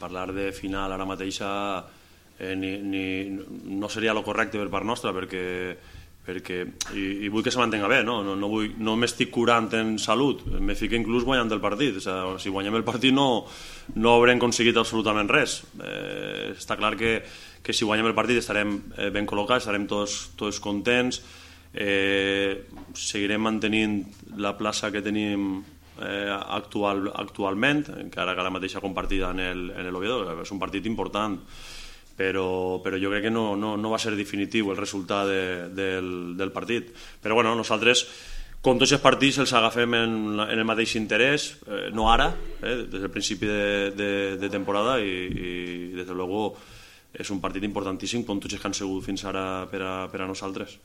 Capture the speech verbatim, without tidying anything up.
Parlar de final ara mateixa eh, ni, ni, no seria el correcte per part nostra, perquè, perquè i, i vull que se mantenga bé, no, no, no, vull, no m'estic curant en salut, me fico inclús guanyant el partit. O sigui, si guanyem el partit no, no haurem aconseguit absolutament res. Eh, està clar que, que si guanyem el partit estarem eh, ben col·locats, estarem tots, tots contents, eh, seguirem mantenint la plaça que tenim Eh, actual, actualment, encara que la mateixa compartida en l'Oviedo. És un partit important, però, però jo crec que no, no, no va ser definitiu el resultat de, del, del partit. Però bueno, nosaltres, com tots els partits, els agafem en, en el mateix interès, eh, no ara, eh, des del principi de, de, de temporada, i, i des de luego és un partit importantíssim, com tots els que han sigut fins ara per a, per a nosaltres.